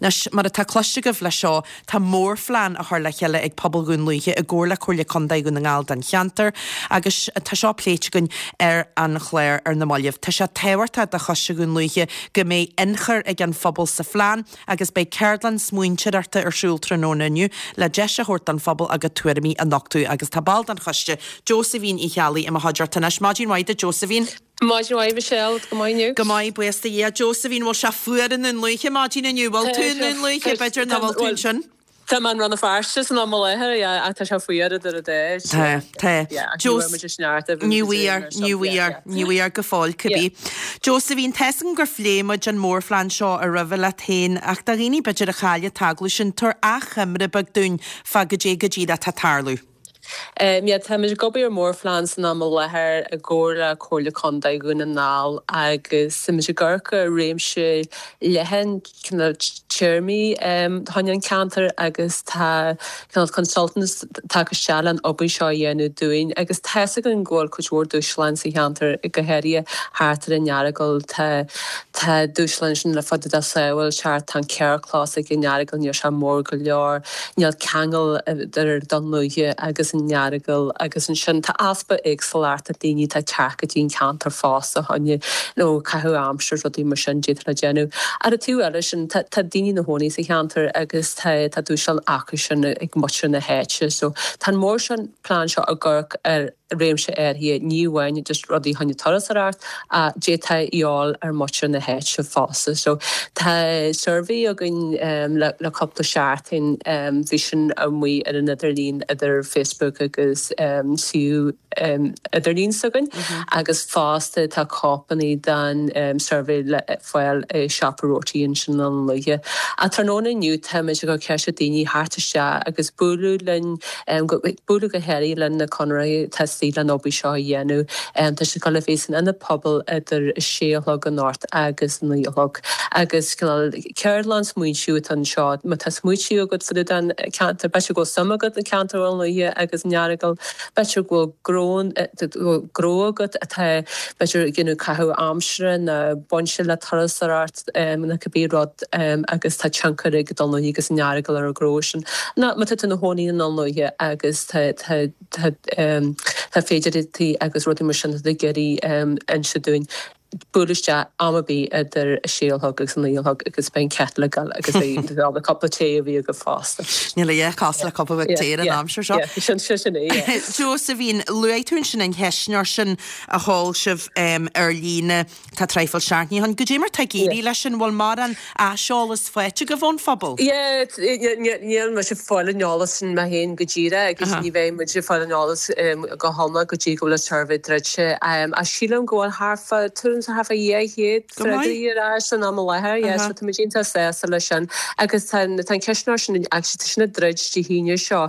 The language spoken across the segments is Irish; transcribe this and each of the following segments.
Anois, mar atá cloiste agaibh leis seo, tá mórphlean á chur le chéile ag pobal Dhún Lúiche i gcomhar le Comhairle Contae Dhún na nGall don cheantar agus tá seo pléite againn ar an chlár ar na mallaibh. Tá sé tábhachtach do Choiste Dhún Lúiche go mbeidh ionchur ag an phobal sa phlean agus beidh ceardlann smaointeoireachta ar siúl tráthnóna inniu le deis a thabhairt don phobal a gcuid tuairimí a nochtadh agus tá ball den choiste, Josephine Uí Cheallaigh, i mo chuideachta anois. Maidin mhaith duit Josephine. Maidin mhaith Michelle, go maith inniu? Go maith, buíochas do Dhia. Josephine, bhfuil sé fuar i nDún Lúiche maidin inniu? Bhfuil tú i nDún Lúiche? B'fhéidir nach bhfuil tú ansin? Tá mé i Rann na Feirste san am i láthair, yeah, ach tá sé fuar idir an dá. Tá, tá. Yeah, ach ní bhfuair muid an sneachta a bhí Ní bhfuair, ní bhfuair, ní bhfuair go fóill, cibé. Josephine, tá's agam gur phléigh muid an mórphlean seo roimhe leat féin, ach do dhaoine b'fhéidir a chaill an t-agallamh sin, tabhair achoimre beag dúinn fá goidé go díreach atá ag tarlú. Yeah, táimid ag obair ar mhórphlean san am i láthair i gcomhar le Comhairle Contae Dhún na nGall agus táimid ag amharc ar réimse leathan cineál téarmaí fá choinne an cheantair agus tá cineál consultants tagtha isteach le an obair seo a dhéanamh dúinn agus tá's againn go bhfuil cuid mhór dúshláin sa cheantar go háirithe thart ar an Earagail. Tá tá dúshláin sin le fad de sábháilteacht, tá an carrchlós ag an Earagail níl sé mór go leor. Níl ceangal idir Dún Lúiche agus an Earagail agus ansin tá easpa éagsúlachta daoine atá ag teacht go dtí an ceantar fosta fá choinne nó caitheamh aimsire rudaí mar sin d'fhéadfá le déanamh. Ar an taobh eile sin tá tá daoine ina chónaí sa cheantar agus tá tá dúshlán acu sin ag muintir na háite so tá an mór sin plean seo ag amharc ar réimse áirithe, ní amháin just rudaí fá choinne turasóireacht ach d'fhéadfá a dhíobháil ar muintir na háite fosta. So tá suirbhé againn le le cúpla seachtain, bhí sin amuigh ar an idirlíon idir Facebook agus suíomh idirlín s'againn agus fosta tá cóipeanna den suirbhé le fáil i Siopa Roti ansin i nDún Lúiche. Ach tráthnóna inniu táimid ag cur ceist ar daoine theacht isteach agus bualadh linn Bualadh go háirithe le na conraitheoirí atá istigh leis an obair seo a dhéanamh. Tá sé ag dul a bheith san Ionad Pobail idir a sé a chlog anocht agus a 9 a chlog. Agus cineál ceardlann smaointiú atá anseo. Má tá smaoitiú agat fá dtaobh den cheantar, b'fhéidir go bhfuil suim agat i gceantar Dhún Lúiche agus an Earagail, b'fhéidir go bhfuil gnó agat atá b'fhéidir ag déanamh caitheamh aimsire nó bainte le turasóireacht nó cibé rud agus tá tionchar ag Dún Lúiche agus an Earagail ar an ghnó sin. Nó má tá tú ina chónaí i nDún Lúiche agus tá tá tá tá féidearthachtaí agus rudaí mar sin atá tú ag iarraidh inse dúinn, buail isteach am ar bith idir a sé a chlog agus a naoi a chlog agus beidh an kettle ag gabháil agus beidh beidh cúpla tae a bhí agaibh fosta. Níl a dhath cosúil le cupa beag tae ar an aimsir seo. Yeah, sin sin é, yeah. Josephine, luaigh tú ansin an cheistneoir sin a sheol sibh ar líne. Tá traidhfil seachtainí ann. Goidé mar tá ag éirí leis sin? Bhfuil mórán aiseolas faighte agaibh ón phobal? Yeah, níl mise ag fáil an eolas sin mé féin go díreach agus ní bheidh muid ag fáil an eolas go hiomlán go dtí go bhfuil an suirbhé druidte. Ach sílim go bhfuil thart fá, tuairim is thart fá 200 freagraí ar ais san am i láthair. Yeah, so tá muid iontach sásta leis sin. Agus tá an ceistneoir sin, actually tá sin ag druid Dé hAoine seo.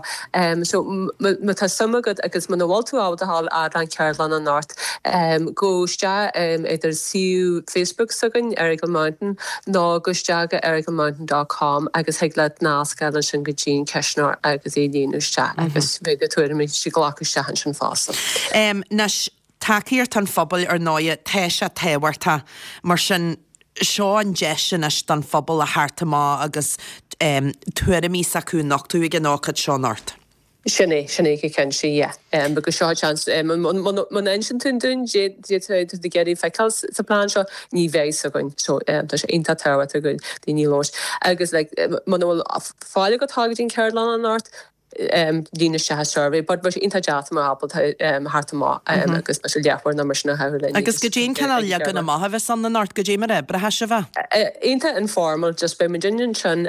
So má tá suim agat agus muna bhfuil tú ábalta a ghabháil fhad leis an cheardlann anocht, Gabh isteach idir suíomh Facebook s'againn, Errigal Mountain, nó gabh isteach go errigalmountain dot com agus thig leat nasc a fháil ansin go dtí an ceistneoir agus é a líonadh isteach agus beidh do tuairimí á nglacadh isteach ansin fosta. Anois, tacaíocht an phobail, ar ndóighe, tá sé tábhachtach. Mar sin, seo an deis anois don phobal a theacht amach agus tuairimí s'acu a nochtadh ag an ócáid seo anocht. Sin é, sin é go cinnte, yeah. Because seo an seans, muna inseann tú dúinn cad tá tú ag iarraidh feiceáil sa plean seo, ní bheidh fhios againn. So tá sé iontach tábhachtach go daoine labhairt. Agus like muna bhfuil fáil agat a ghabháil go dtí an ceardlann anocht, líon isteach an survey. But bheadh sé iontach deas má ábalta theacht amach agus b'fhéidir leathuair nó mar sin a chaitheamh linn. Agus goidé an cineál leagan amach a bheas ann anocht, goidé mar a oibreoidh sibh é? Iontach informal, just beidh muid ansin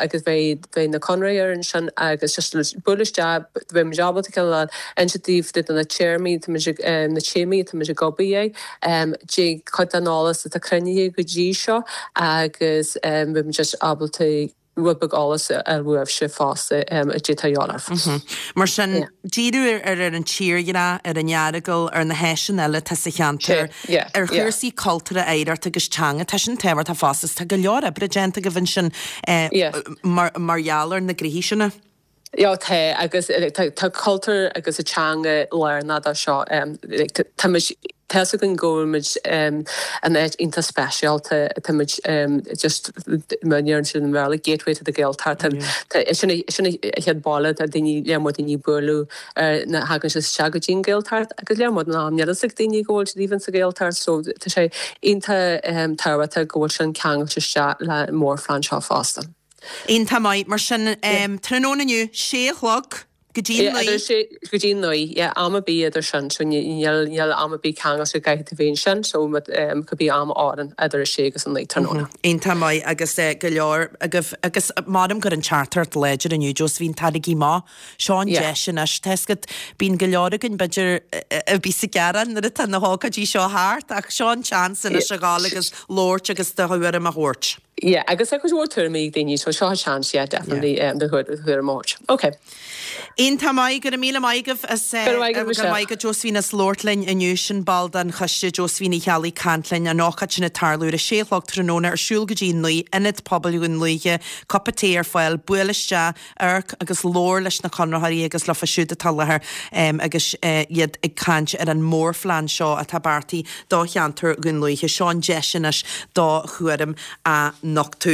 agus beidh beidh na conraitheoirí ansin agus just buail isteach, beidh muid ábalta cineál inse daoibh de na téarmaí atá muid ag, na téamaí atá muid ag obair air, de chuid den eolas atá cruinnithe go dtí seo agus beidh muid just ábalta rud beag eolas a fháil uaibhse fosta a d'fhéadfadh a dhíobháil ort. Mar sin, díriú ar ar an tírdhreach, ar an Earagail, ar na háiseanna eile atá sa cheantar, ar chúrsaí cultúrtha, oidhreachta agus teanga, tá sin tábhachtach fosta agus tá go leor oibre déanta agaibh ansin mar gheall ar na gnoithí sin. Yeah, tá agus tá cultúr agus an teanga lárnach dó seo. Tá muid. Tá 'fhios againn go bhfuil muid in áit iontach speisialta, tá muid just mar a deireann siad i mBéarla, gateway to the Gaeltacht. Sin an chéad bhaile atá daoine, lear mór daoine ag bualadh air nuair a thagann siad isteach go dtí an Ghaeltacht agus lear mór den am níl fhios ag daoine go bhfuil siad even sa Ghaeltacht so tá sé iontach tábhachtach go bhfuil sin ceangailte isteach le mórphlean seo fosta. Iontach maith. Mar sin, tráthnóna inniu, sé a chlog go dtí a 9. Idir sé go dtí a 9, yeah, am ar bith idir sin, so níl, níl am ar bith ceangailte go gcaithfidh tú bheith ansin, so cibé am a oireann idir 6 agus 9 tráthnóna. Iontach maith agus go leor agaibh agus measaim go raibh an teachtaireacht láidir inniu, Josephine, tarraigí amach, seo an deis anois, tá 'fhios agat, bíonn go leor againn b'fhéidir a bhíos ag gearán nuair atá na hócáidí seo thart ach seo an seans anois a ghabháil agus labhairt agus do thuairim a thabhairt. Yeah, agus tá cuid mhór tuairimí ag daoine, so seo an seans, yeah, definitely, do thuairim a thabhairt. Ok. Iontach maith, go raibh míle maith agaibh as, Go raibh maith agat, go raibh maith agat Josephine as labhairt linn inniu, sin ball den choiste Josephine Uí Cheallaigh ag caint linn, an ócáid sin ag tarlú ar a sé a chlog tráthnóna ar siúl go dtí a 9, Ionad Pobail Dhún Lúiche, cupa tae ar fáil, buail isteach, amharc agus labhair leis na conraitheoirí agus leofa siúd atá i láthair agus iad ag caint ar an mórphlean seo atá beartaithe do cheantar Dhún Lúiche. Seo an deis anois do thuairim a nochtadh.